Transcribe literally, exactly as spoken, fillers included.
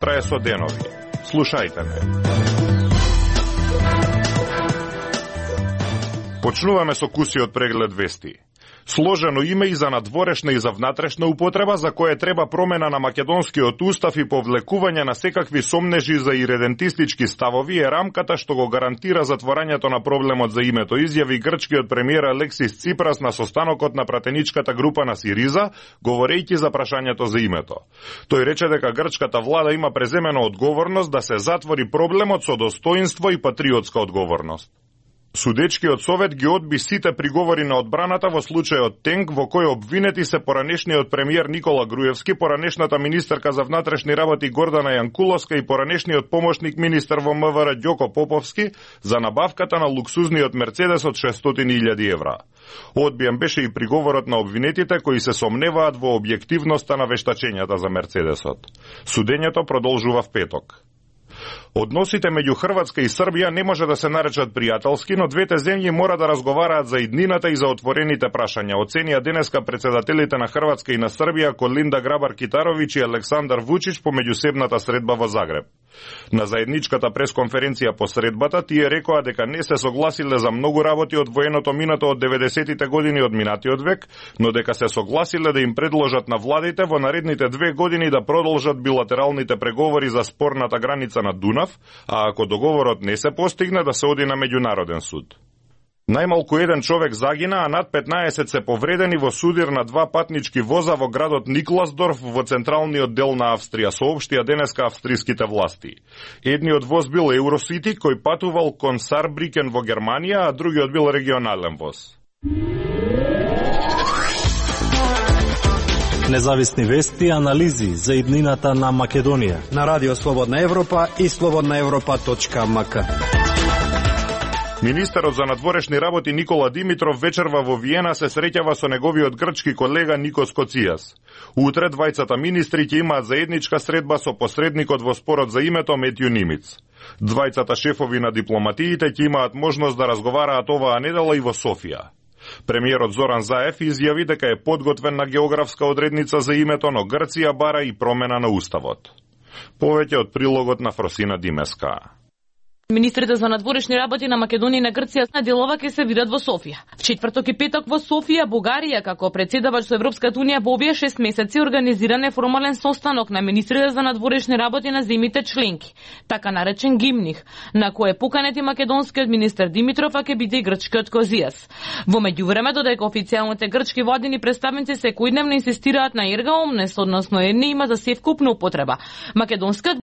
Трае со денови. Слушајте ме. Почнуваме со кусиот преглед вести. Сложено име и за надворешна и за внатрешна употреба, за кое треба промена на македонскиот устав и повлекување на секакви сомнежи за иредентистички ставови е рамката што го гарантира затворањето на проблемот за името, изјави грчкиот премиер Алексис Ципрас на состанокот на пратеничката група на Сириза, говорејќи за прашањето за името. Тој рече дека грчката влада има преземена одговорност да се затвори проблемот со достоинство и патриотска одговорност. Судечкиот совет ги одби сите приговори на одбраната во случајот Тенк, во кој обвинети се поранешниот премиер Никола Груевски, поранешната министерка за внатрешни работи Гордана Јанкуловска и поранешниот помошник министер во МВР Ѓоко Поповски за набавката на луксузниот Мерцедес од шестстотини илјади евра. Одбиен беше и приговорот на обвинетите кои се сомневаат во објективноста на вештачењата за Мерцедесот. Судењето продолжува в петок. Односите меѓу Хрватска и Србија не може да се наречат пријателски, но двете земји мора да разговараат за иднината и за отворените прашања, оценија денеска председателите на Хрватска и на Србија Колинда Грабар-Китаровиќ и Александар Вучич по меѓусебната средба во Загреб. На заедничката пресконференција по средбата тие рекоа дека не се согласиле за многу работи од военото минато од деветдесетите години од минатиот век, но дека се согласиле да им предложат на владите во наредните две години да продолжат билатералните преговори за спорната граница на Дунав, а ако договорот не се постигне да се оди на меѓународен суд. Најмалку еден човек загина, а над петнаесет се повредени во судир на два патнички воза во градот Никласдорф во централниот дел на Австрија, соопштија денеска австриските власти. Едниот воз бил Eurocity кој патувал кон Сарбрикен во Германија, а другиот бил регионален воз. Независни вести и анализи за иднината на Македонија на Радио Слободна Европа и слободна европа точка ем ка. Министерот за надворешни работи Никола Димитров вечерва во Виена се среќава со неговиот грчки колега Никос Коцијас. Утре двајцата министри ќе имаат заедничка средба со посредникот во спорот за името Метју Нимиц. Двајцата шефови на дипломатиите ќе имаат можност да разговараат оваа недела и во Софија. Премиерот Зоран Заев изјави дека е подготвен на географска одредница за името, но Грција бара и промена на уставот. Повеќе од прилогот на Фросина Димеска. Министрите за надворешни работи на Македонија и на Грција на делова ќе се видат во Софија. В четврток и петок во Софија, Бугарија, како председавач со Европската унија, во овие шест месеци организиран е формален состанок на министрите за надворешни работи на земјите членки, така наречен Гимних, на кој е поканет и македонскиот министер Димитров, а ќе биде и грчкиот Козијас. Во меѓувреме, додека официјалните грчки владини представници секојдневно инсистираат на ерга омнес, односно е не има за севкупна употреба. Македонскиот